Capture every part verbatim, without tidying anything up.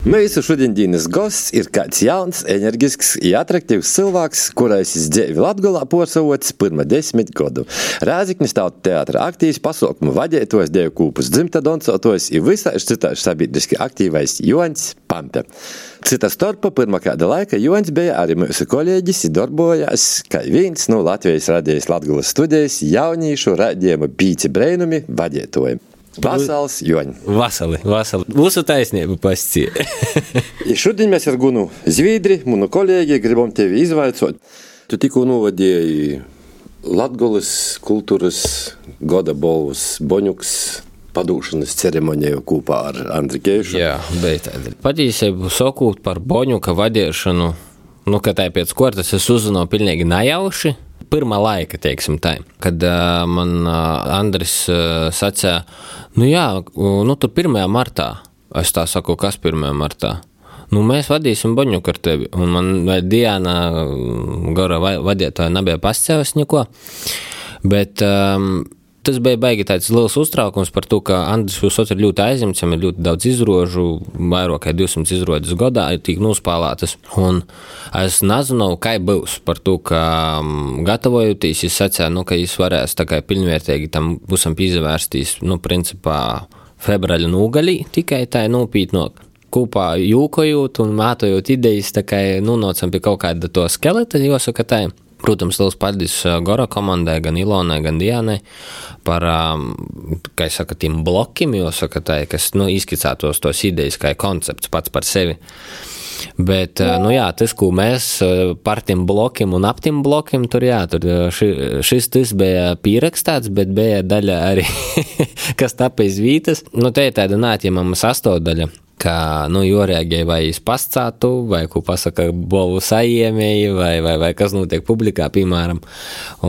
Mūsu šodienas gosts ir kāds jauns, enerģisks un atraktīvs cilvēks, kurais dzīvi Latgolā posavots pirma desmit godu. Rēzeknis Tautu teātra aktīvs, pasaukumu vadētojs, deju kūpus dzimta doncotojs un visāž citāž sabiedriski aktīvais Joņs Pampe. Cita starpa pirma kāda laika Joņs bija arī mūsu kolēģis un darbojās kā viens no Latvijas radijas Latgolas studijas jaunīšu radījuma Pīci breinumi vadētojiem. Vasals, Joņ. Vasali, vasali. Mūsu taisnība pascie. Šodien mēs ar Gunu Zviedri, munu kolēģi, gribam tevi izvaicot. Tu tikko novadīji Latgolas kultūras goda balvas Boņuks padūšanas ceremoniju kopā ar Andri Keišu. Jā, bet patīsību sakūt par Boņuka vadīšanu, nu, ka tā pēc kortas es uzzināju pilnīgi najauši. Pirmā laika, teiksim tā, kad uh, man uh, Andris uh, sacīja, nu jā, nu tur pirmajā martā, es tā saku, kas pirmajā martā? Nu mēs vadīsim Boņuku ar tevi, un man vai Diana Gora vadītāja nebija pascēvis neko, bet um, tas bija baigi tāds liels uztraukums par to, ka Andris Jusot ir ļoti aizņemts, ir ļoti daudz izrožu, vairāk kā divsimt izrodas gadā, ir tik nospēlētas. Un es nezinu, kā būs par to, ka gatavojoties, es sacīju, nu, ka es varēs tā kā pilnvērtīgi tam būsam pīzavērstīs, nu, principā, februāļa nūgalī, tikai tā ir nūpītnāk. Kopā jūkojot un mētojot idejas, tā kā nonācam pie kaut kāda to skeleta, jāsaka tā. Protams, liels paldies Gora komandai, gan Ilonai, gan Dianai par, kā es saku, tiem blokiem, jāsaka tā, kas, nu, izskicētos tos idejas kā koncepts pats par sevi. Bet, nu jā, tas, ko mēs par tiem blokiem un ap tiem blokiem, tur jā, tur ši, šis tas bija pierakstāts, bet bija daļa arī, kas tāpēc vītas. Nu, te ir tāda neatņemama sastāvdaļa, ka, nu, jorēģēja vai es pascātu, vai, ko pasaka, bovu sajiemēji, vai, vai, vai kas notiek publikā, piemēram.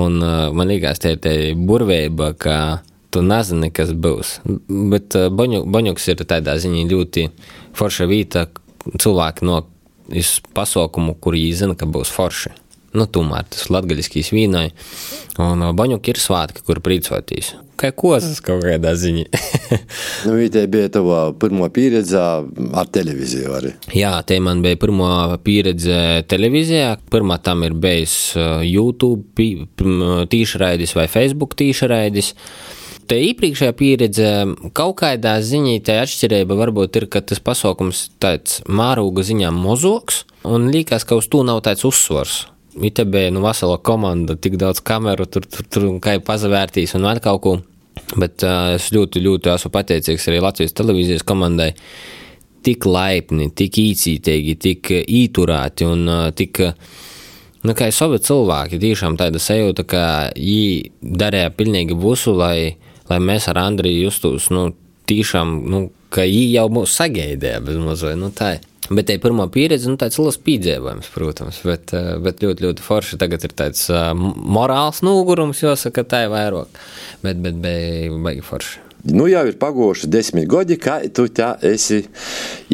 Un uh, man liekas, te ir te burveiba, ka tu nezini, kas būs. Bet uh, Boņu, Boņuks ir tādā ziņā ļoti forša vīta, cilvēki no iz pasaukumu, kur viņi zina, ka būs forši. Nu, tomēr tas latgaļiskīs vīnai. Un Boņuki ir svātki, kur prīcotīs. Kā kozas kaut kādā ziņā. Nu, te bija tava pirmo pieredze ar televiziju arī. Jā, te man bija pirmo pieredze televizijā. Pirmā tam ir bijis YouTube tīšraidis vai Facebook tīšraidis. Te iepriekšējā pieredze kaut kādā ziņā tā atšķirība varbūt ir, ka tas pasaukums tāds mārūga ziņā mozoks un liekas, ka uz to nav tāds uzsvars. Ite bija, nu, vesela komanda, tik daudz kameru, tur, tur, tur kā pazavērtīs un vēl kaut ko. Bet uh, es ļoti, ļoti esmu pateicīgs arī Latvijas televīzijas komandai. Tik laipni, tik īcītīgi, tik īturēti un uh, tik, nu, kā savi cilvēki, tiešām tāda sajūta, ka viņi darīja pilnīgi visu, lai, lai mēs ar Andriju justos, nu, tiešām, nu, ka viņi jau mūs sagaidīja bez mazai, nu, tā ir. Bet te pirmā pieredze, nu, tāds liels pīdzēvojums, protams, bet, bet ļoti, ļoti forši. Tagad ir tāds uh, morāls nūgurums, jāsaka, tā ir vairāk, bet, bet bija baigi forši. Nu, jau ir pagoši desmit godi, kā tu tā esi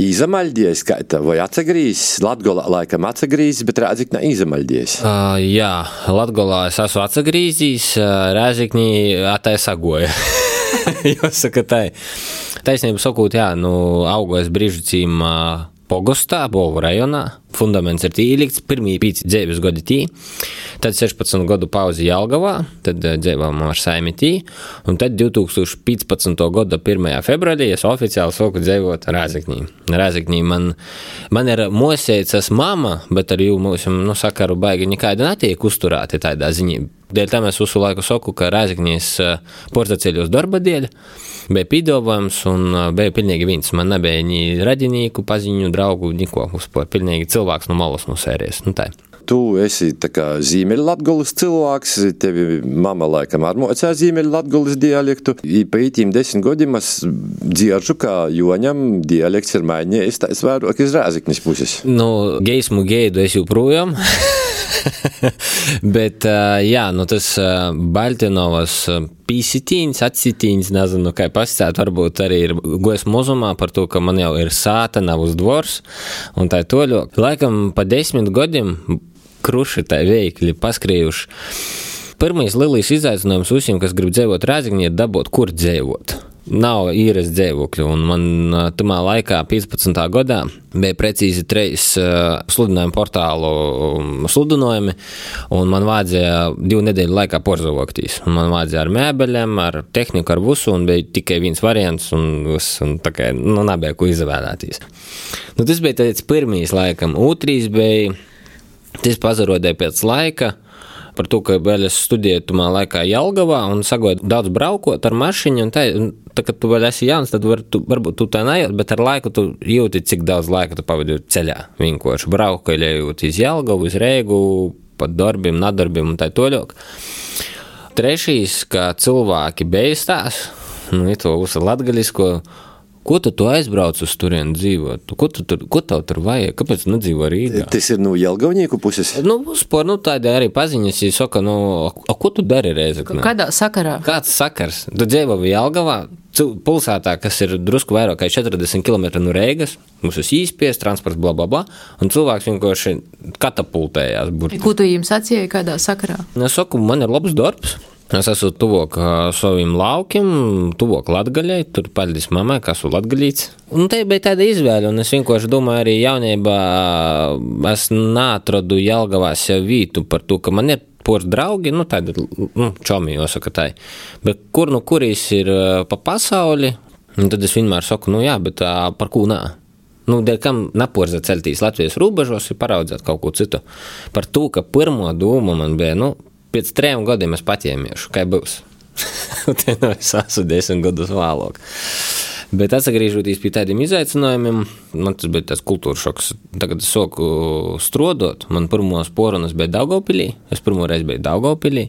izamaļdies, kā tā, vai atsagrīzis, Latgolā laikam atsagrīzis, bet Rēzeknē izamaļdies. Uh, jā, Latgolā es esmu atsagrīzis, Rēzeknī atai sagoja, jāsaka, tā. Taisnība sakot, jā, nu, augojas brīžucīm uh, Pogostā, Bovu rajonā. Fundaments ir tī ielikts, pirmī pīci dzēvis godi tī, tad sešpadsmit godu pauzi Jelgavā, tad dzēvām ar saimi tī, un tad divtūkstoš piecpadsmito gada pirmajā februārī es oficiāli soku dzēvot Rēzeknī. Rēzeknī man, man ir mosēcas mama, bet ar jū mūsu, nu, sakaru baigi nekāda netiek uzturēti tādā ziņā. Dēļ tam es visu laiku saku, ka Rēzeknīs portaceļos darba dēļ bija pīdovojums un bija pilnīgi viens. Man nebija ni radinīku, paziņu, draugu, niko uzpār, pilnīgi cilvēks no malas no sērijas. Nu tā. Tu esi tā kā Ziemeļlatgolas cilvēks, tevi mama laikam ar mocā Ziemeļlatgolas dialektu. I pa ītīm desmit godiem es dzieržu, ka Joņam dialekts ir mainījies, tā es vairāk iz Rēzeknis puses. Nu, geismu geidu es joprojām. Bet, jā, nu tas Baltinovas pīsitīņas, atsitīņas, nezinu, kā pasacēt, varbūt arī ir gojas mozumā par to, ka man jau ir sāta, nav uz dvors, un tā ir toļo. Laikam pa desmit godiem kruši tā veikli paskrējuši. Pirmais lielais izaicinājums visiem, kas grib dzēvot Rēzeknī, ir dabūt, kur dzēvot. nav īres dzīvokļu, un man tamā laikā, piecpadsmitā gadā, bija precīzi treis sludinājumu portālu sludinājumi, un man vajadzēja divu nedēļu laikā porzavoktīs. Man vajadzēja ar mēbeļiem, ar tehniku, ar visu, un bija tikai viens variants, un, viss, un tā kā, nu, nebija ko izvēlēties. Nu, tas bija tāds pirmīs laikam. Otrīs bija, tas pazarodēja pēc laika, par to, ka vēl es studēju tumā laikā Jelgavā un sagoju daudz braukot ar mašiņu, un tā, tā kad tu vēl esi jauns, tad var, tu, varbūt tu tā nejūt, bet ar laiku tu jūti, cik daudz laika tu pavadi ceļā. Vienkārši braukaļējot iz Jelgavu, iz Reigu, pat darbiem, nadarbiem un tā toļok. Trešīs, kā cilvēki beistās, nu, ir to visu latgaļisko, ko tu tu aizbrauc uz turienu dzīvot? Ko, tu tur, ko tev tur vajag? Kāpēc tu nedzīvo Rīgā? Tas ir no Jelgavnieku puses? Nu, spor, nu tādi arī paziņas, ja saka, nu, a, ko tu dari Reizeknē? Kādā sakarā? Kāds sakars? Tu dzīvo Jelgavā, pilsētā, kas ir drusku vairāk kā četrdesmit kilometri no Reigas, mums ir īspies, transports, bla, bla, bla, un cilvēks vienkārši katapultējās. Burti. Ko tu jums sacīji kādā sakarā? Es saku, man ir labs darbs. Es esmu tuvok saviem laukiem, tuvok Latgaļai, tur paļdis mammai, kas esmu latgaļīts. Un te bija tāda izvēle, un es vienkārši domāju, arī jaunībā es neatradu Jelgavā sev vītu par to, ka man ir pors draugi, nu tādi, nu, čomi, jāsaka tā. Bet kur nu kurīs ir pa pasauli, un tad es vienmēr saku, nu jā, bet par ko nā? Nu, dēļ kam naporzēt celtīs Latvijas robežos ir paraudzēt kaut ko citu. Par to, ka pirmo doma man bija, nu, pēc trejiem gadiem es paķēmiešu, kā būs. Te nu es esmu desmit gadus vēlāk. Bet atsagrīžoties pie tādiem izaicinājumiem, man tas bija tāds kultūras šoks. Tagad es soku strodot, man pirmos porunas bija Daugavpilī, es pirmo reizi biju Daugavpilī.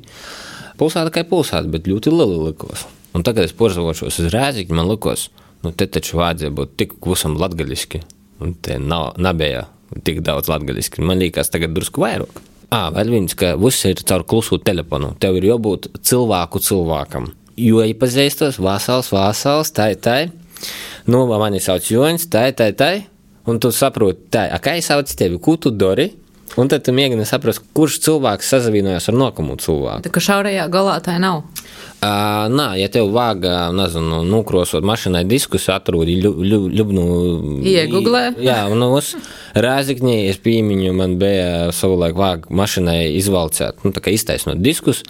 Pulsāta kā pulsāta, bet ļoti liela likos. Un tagad es porzavošos uz Rēzekni, man likos, nu te taču vajadzēja būt tik visam latgaļiski. Un te nav, nebija tik daudz latgaļiski. Man liekas tagad drusku vairāk. Ā, vēl viens, ka viss ir caur klusu telefonu. Tev ir jābūt cilvēku cilvēkam. Jo iepazīstos, vasals, vasals, tai, tai. Nu, mani sauc Joņs, tai, tai, tai. Un tu saproti, tai, a kā es sauc tevi, ko tu dari? Un tad tu mēģini saprast, kurš cilvēks sazavienojas ar nākamu cilvēku. Tā kā šaurajā galā tā nav? Uh, nā, ja tev vāga, nezinu, nukrosot mašinai diskus, atrūdi ļubnu... Ieguglē? Jā, un uz Rēzekņī es pīmiņu, man bija savulaik vāga mašinai izvalcēt, nu tā kā iztaisnot diskus.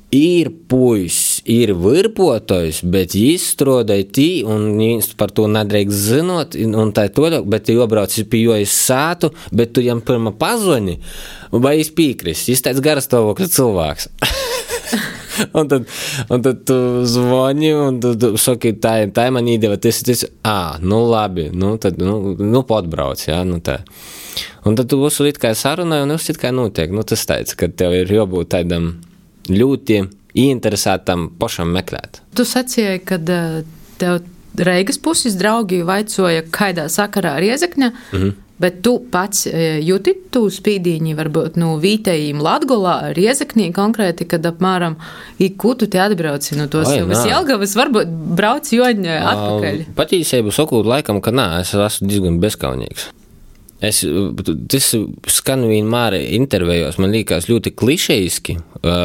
Ir puisis, ir virpotojs, bet viņš strādāja tī, un viņš par to nedrīkst zinot, un tā toļāk, bet tu jobrauc pie jo iz sātu, bet tu jam pirma pazoni, vai viņš pīkrist, viņš tāds garastāvokļa cilvēks. un, tad, un tad tu zvoni, un tu, tu saki, tā, tā man īdeva, tas, tas, ā, nu labi, nu tad, nu, nu potbrauc, jā, nu tā. Un tad tu visu it kā sarunāji, un visu it kā notiek, nu tas tāds, ka tev ir jābūt tādam ļoti ieinteresētam pašam meklēt. Tu sacīji, kad tev Reigas puses draugi vaicoja, kādā sakarā Riezekņa, mm-hmm. bet tu pats jūti tu spīdīņi varbūt no vītējiem Latgolā, Riezeknī konkrēti, kad apmēram ko tu te atbrauci no tos savas Jelgavas, varbūt brauc Joņa atpakaļ? Patīsību sakot laikam, ka nā, es esmu diezgan bezkaunīgs. Es, tas skan vienmēr intervējos, man liekas ļoti klišejiski,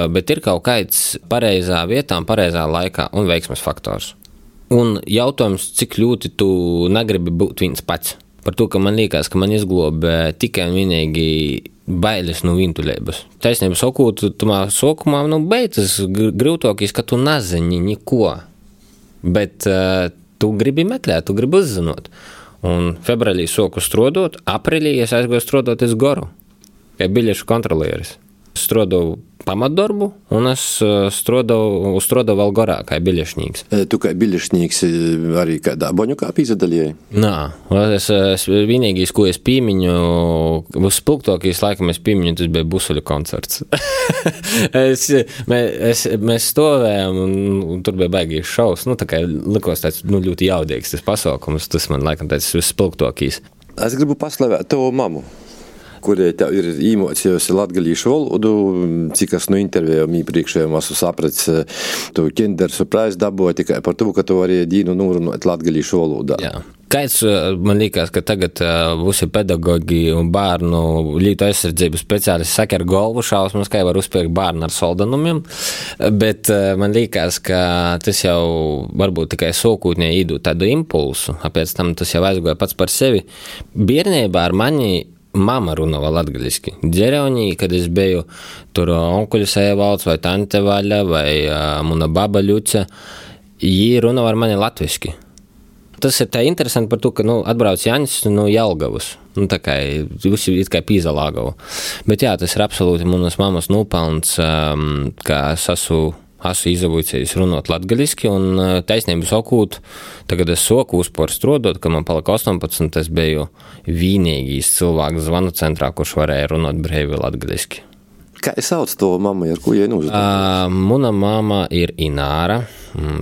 bet ir kaut kāds pareizā vietā un pareizā laikā un veiksmes faktors. Un jautājums, cik ļoti tu negribi būt viens pats. Par to, ka man liekas, ka man izglobē tikai un vienīgi bailes no vientuļības. Taisnība sakot, tumā sokumā, nu, beidzas grūtākīs, ka tu nezini neko. Bet uh, tu gribi meklēt, tu gribi uzzinot. Un februārī soku strodot, aprīlī es aizgoju strodot iz Goru, kā biļešu kontrolieris. Strodoju pamatdarbu, un es strodoju, strodoju vēl Gorā, kā biļešņīgs. Tu kā biļešņīgs arī kādā Boņukā pīzadaļēji? Nā, es, es vienīgīs, ko es pīmiņu, vispilgtākīs laikam es pīmiņu, tas bija Busuļu koncerts. es, mē, es, mēs stovējām, un, un tur bija baigīs šaus, nu tā kā likos tāds, nu, ļoti jaudīgs tas pasaukums, tas man laikam tāds vispilgtākīs. Es gribu paslavēt tavu mamu, kurie tev ir īmocījusi latgalīšu valodu, cik es no intervējām iepriekšējām esmu sapratis, tu Kinder surprise dabūji tikai par to, ka tu vari dīnu nūrunot latgalīšu valodā. Jā. Kāds, man liekas, ka tagad visi pedagogi un bērnu lītu aizsardzības speciālisti saka ar galvu šausmas, kā var uzpirkt bērnu ar soldanumiem, bet man liekas, ka tas jau varbūt tikai sokūtņē īdūt tādu impulsu, apēc tam tas jau aizgoja pats par sevi. Bērnībā ar mani mama runāja latgaliski. Dzereonī, kad es biju tur onkuļus Evalds vai tante Vaļa vai muna baba Ļuca, jī runāja ar mani latviski. Tas ir tā interesanti par to, ka, nu, atbrauc Jaņs no Jelgavas. Nu, tā kā visi it kā pīzalāgava. Bet jā, tas ir absolūti manas mammas nopelns, um, ka es esmu, esmu izavūcējis runot latgaliski, un taisnību sakūt, tagad es soku uzpār strodot, ka man palika astoņpadsmit, es biju vienīgīs cilvēks zvanu centrā, kurš varēja runot brīvi latgaliski. Kā es sauc to mammu, ar ko jai nūzdod? Uh, muna mama ir Ināra,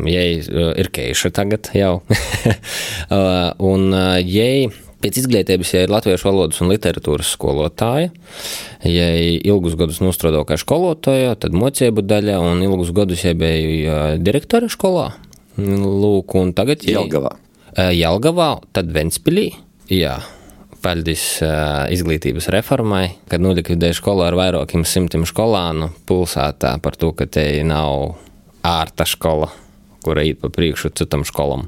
jai uh, ir Keiša tagad jau, uh, un uh, jai pēc izglītības jai ir latviešu valodas un literatūras skolotāja, jai ilgus gadus nostrodoja kā skolotāja, tad mocību daļa, un ilgus gadus jai bija uh, direktora skolā, lūk, un tagad jai... Jelgavā. Uh, Jelgavā, tad Ventspilī, jā. Paldies uh, izglītības reformai, kad nolikvidēja skolu ar vairākiem simtiem skolānu pilsētā par to, ka te nav ārta skola, kura īt pa priekšu citam skolam.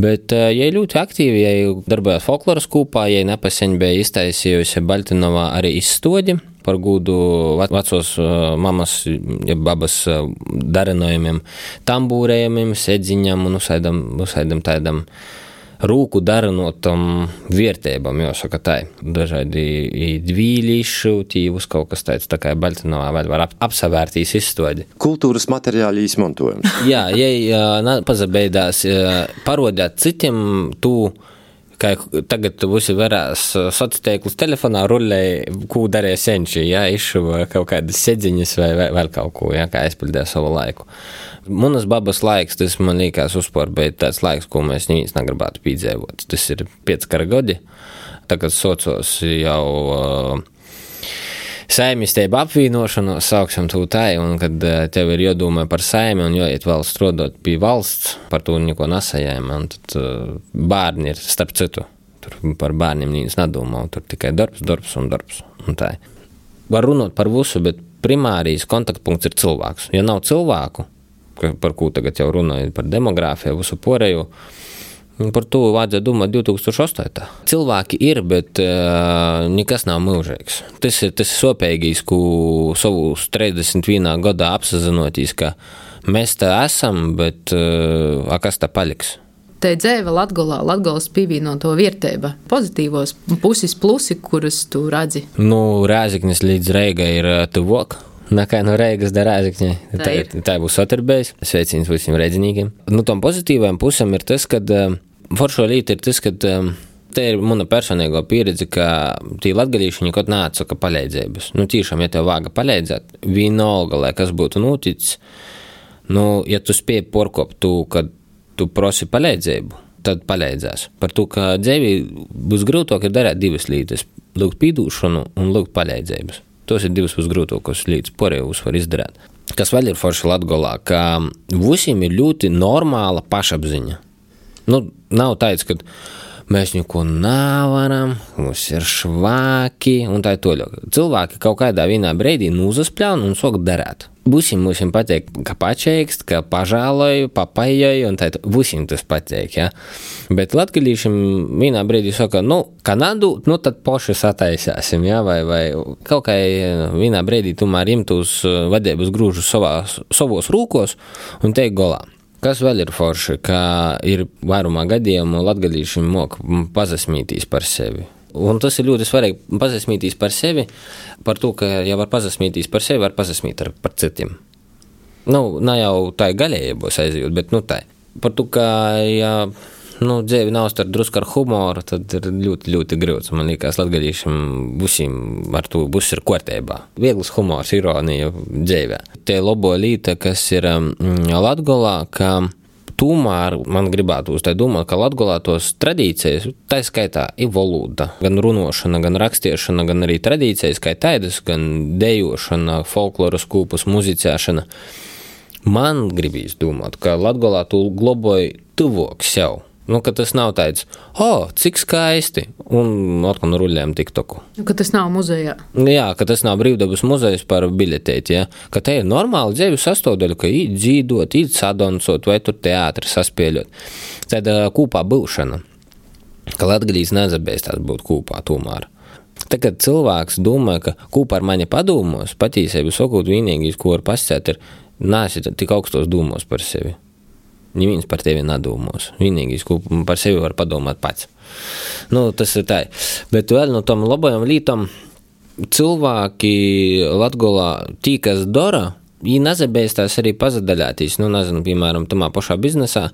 Bet uh, jai ļoti aktīvi, jai darbojās folkloras kūpā, jai nepaseņ bija iztaisījusi Baltinovā arī izstodi par gūdu vecos uh, mamas, ja babas uh, darinojumiem, tambūrējumiem, sedziņam un usaidam, usaidam tādam rūku darinotam vērtībam, jāsaka tā. Dažādi dvīlīšu, tīvus kaut kas tāds, tā kā Baltinovā vēl var ap, apsavērtīs izstodi. Kultūras materiāli izmantojums. Jā, jai pazabeidās parodēt citiem tū, kā tagad visi varās sociālus telefonā rullēja, ko darīja senči, jā, izšuva kaut kādas sedziņas vai vēl kaut ko, jā, kā aizpildīja savu laiku. Munas babas laiks, tas man liekas uzpār, bet tāds laiks, ko mēs neviens negribētu pīdzēvot. Tas ir pieckara godi, tagad socios jau uh, saimistēba apvīnošanos, sauksim to tai, un kad uh, tev ir jādomā par saimi un jāiet vēl strodot pie valsts, par to neko nesajēma, un tad uh, bērni ir starp citu. Tur par bērniem neviens nedomā, tur tikai darbs, darbs un darbs. Un tā. Var runāt par visu, bet primārijas kontaktpunkts ir cilvēks. Ja nav cilvēku, par ko tagad jau runāju, par demogrāfiju, visu porēju, par to vajadzētu domāt divi tūkstoši astoņi. Cilvēki ir, bet uh, nekas nav mūžīgs. Tas ir tas sopēgīs, ko savus trīsdesmit vienā gadā apsazinotīs, ka mēs tā esam, bet uh, a kas tā paliks? Te dzēva Latgolā, Latgolas pīvīnoto vērtība, pozitīvos pusis plusi, kurus tu redzi? Nu, Rēzeknis līdz Reigai ir tuvok. Nekā no Reigas da Rēzekņai. Tā, tā, tā būs otrbeis. Sveicins visiem redzinīgiem. Nu, tom pozitīvajam pusam ir tas, kad uh, foršo līta ir tas, kad uh, te ir muna personīgo pieredze, ka tī latgalīši nekot neatsaka paleidzības. Nu, tīšām, ja tev vāga paleidzēt, vienalga, lai kas būtu noticis, nu, ja tu spēj porkopt tu, kad tu prosi paleidzēbu, tad paleidzās. Par to, ka dzēvī būs grūtāk ir darēt divas lītas – lūgt pīdūšanu un lūgt paleidzības. Tos ir divas pusgrūtākos līdz porējus var izdarīt. Kas vēl ir forši Latgolā, ka visiem ir ļoti normāla pašapziņa. Nu, nav tāds, ka mēs neko nevaram, mums ir švāki un tā toļok. Cilvēki kaut kādā vienā brīdī nūzaspļaun un sok darēt. Visiem mums pateik, ka pačeikst, ka pažāloju, papaijoju un tā, visiem tas pateik, ja. Bet latgalīšiem vienā brīdī saka, nu, Kanādu, nu, tad poši sataisāsim, ja, vai, vai kaut kā vienā brīdī tomēr imtus vadības grūžus savās, savos rūkos un teik golā. Kas vēl ir forši, ka ir vairumā gadījumu latgalīšiem mok pazasmītīs par sevi. Un tas ir ļoti svarīgi pazasmītīs par sevi, par to, ka ja var pazasmītīs par sevi, var pazasmīt ar, par citiem. Nu, nav jau tā galējībos aizjūt, bet nu tā. Par to, ka ja nu, dzēvi nav starp drusku ar humoru, tad ir ļoti, ļoti grūts. Man liekas, latgalīšiem visiem ar to būs ir kārtībā. Viegls humors, ironija dzēvē. Te labo līta, kas ir mm, Latgolā, ka tomēr man gribētu uz tā domāt, ka Latgolā tos tradīcijas, tā skaitā ir valoda, gan runošana, gan rakstiešana, gan arī tradīcijas, kā tādas, gan dejošana, folkloras kūpus, muzicēšana. Man gribīs domāt, ka Latgolā tu globoji tuvok sev. Nu, ka tas nav tāds, o, oh, cik skaisti, un atkal nu ruļējam tiktoku. Nu, ka tas nav muzejā. Jā, ka tas nav brīvdabas muzejs par biļetēti, ja? Ka te ir normāli dzīvi sastāvdaļa, ka īt dzīdot, īt sadoncot vai tur teātri saspieļot. Tad uh, kūpā būšana, ka latgalīs nezabēstās būt kūpā tomēr. Tagad cilvēks domā, ka kūpā ar mani padomos, patīsēju sakot vienīgīs, ko var pasciet, ir nāsi tik augstos domos par sevi. Neviens par tevi nedomos. Vienīgais, ko par sevi var padomāt pats. Nu, tas ir tā. Bet vēl no tom labajām lītām cilvēki Latgolā tī, kas dara, viņi nezabēstās arī pazadaļātīs, nu, nezinu, piemēram, tamā pašā biznesā,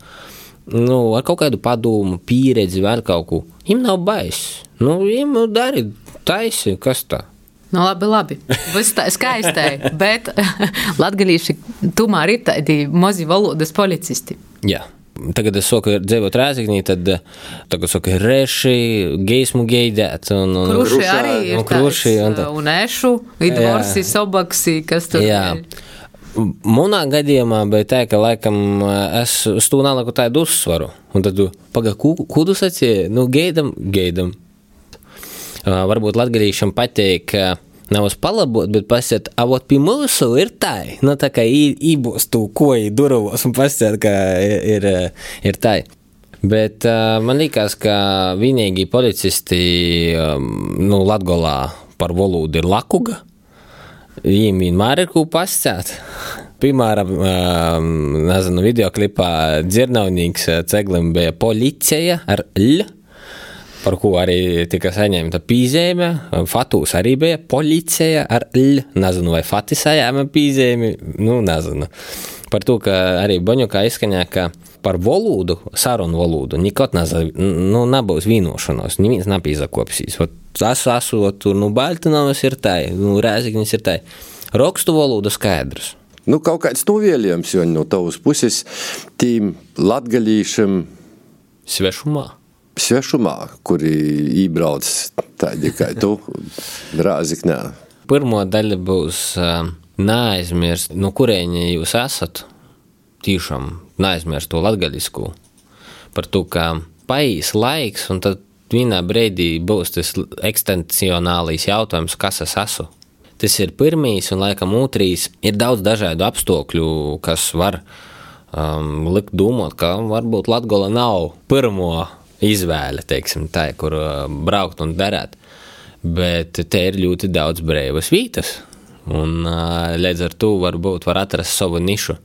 nu, ar kaut kādu padomu, pieredzi, vēl kaut ko. Viņam nav bais. Nu, viņam dari taisi, kas tā? Nu, labi, labi. Viss tā skaistai, bet latgalīši tomēr ir tādi mazi valodas policisti. Jā. Tagad es saku, ir dzīvot Rēzeknī, tad tagad saku, ir reši, geismu geidēt. Un, un, kruši arī ir un, kruši, tāds, un, tā. un ešu, idvorsi, sobaksi, kas tur jā. Ir. Manā gadījumā bija tā, ka laikam es uz to naliku tādu uzsvaru. Un tad, paga, kudu sacīja? Nu, geidam, geidam. Uh, varbūt latgalīšam pateik, uh, nav uz palabot, bet pasiet, a vot pie mūsu ir tai. Nu, tā kā ībos tū koji durovos un pasiet, ka ir, ir tai. Bet uh, man likās, ka vienīgi policisti, um, nu, Latgolā par valodu ir lakuga. Viņiem vienmēr ir ko pasciet. Piemēram, um, nezinu, videoklipā dzirnavnīgs Ceglim bija policija ar L. Par ko arī tika saņemta pīzējuma. Fatūs arī bija policija ar L. Nezinu, vai Fati saņēma pīzējumi. Nu, nezinu. Par to, ka arī Boņukā izskaņā, ka par valodu, sarunu valodu, nikot nezinu, nu, nebūs vīnošanos. Neviens napīzakopsīs. Es esmu tur, nu, Baltinovas ir tai, nu, Rēzeknis ir tai. Rokstu valodu skaidrs. Nu, kaut kāds novielījums, jo no tavas puses tīm latgalīšam svešumā. Svešumā, kuri ībrauc tādi kā tu, Rēzeknē. Pirmo daļa būs uh, neaizmirst, no kurieņa jūs esat, tīšām neaizmirst to latgaļisku. Par to, ka paies laiks, un tad vienā brīdī būs tas ekstencionālīs jautājums, kas es esmu. Tas ir pirmīs, un laikam otrīs ir daudz dažādu apstākļu, kas var um, likt domāt, ka varbūt Latgola nav pirmo izvēle, teiksim, tā, kur braukt un darēt. Bet te ir ļoti daudz brīvas vietas, un līdz ar to varbūt var atrast savu nišu.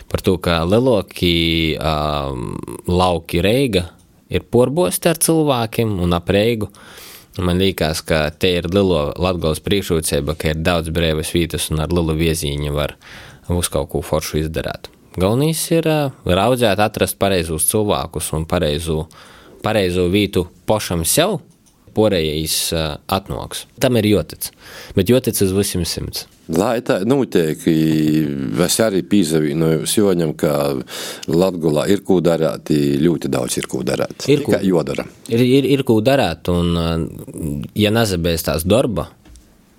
Par to, ka lielākie um, lauki Reiga ir porbosti ar cilvēkiem un ap Reigu. Man liekas, ka te ir lielo Latgolas priekšrocība, ka ir daudz brīvas vietas un ar lielu viezīņu var uz kaut ko foršu izdarāt. Galvenais ir uh, raudzēt, atrast pareizus cilvēkus un pareizu pareizo vītu pašam sev, porējais uh, atnoks. Tam ir jotic, bet jotic uz visiem simts. Lai tā notiek, es arī pīzavīnoju Joņam, ka Latgolā ir ko darāt, ļoti daudz ir ko darāt. Ir ko, jodara. Ir, ir, ir ko darāt, un ja nezabēs tās darba,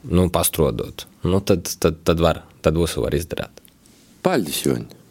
nu, pastrodot, nu, tad, tad, tad var, tad visu var izdarāt. Paldies, Joņ!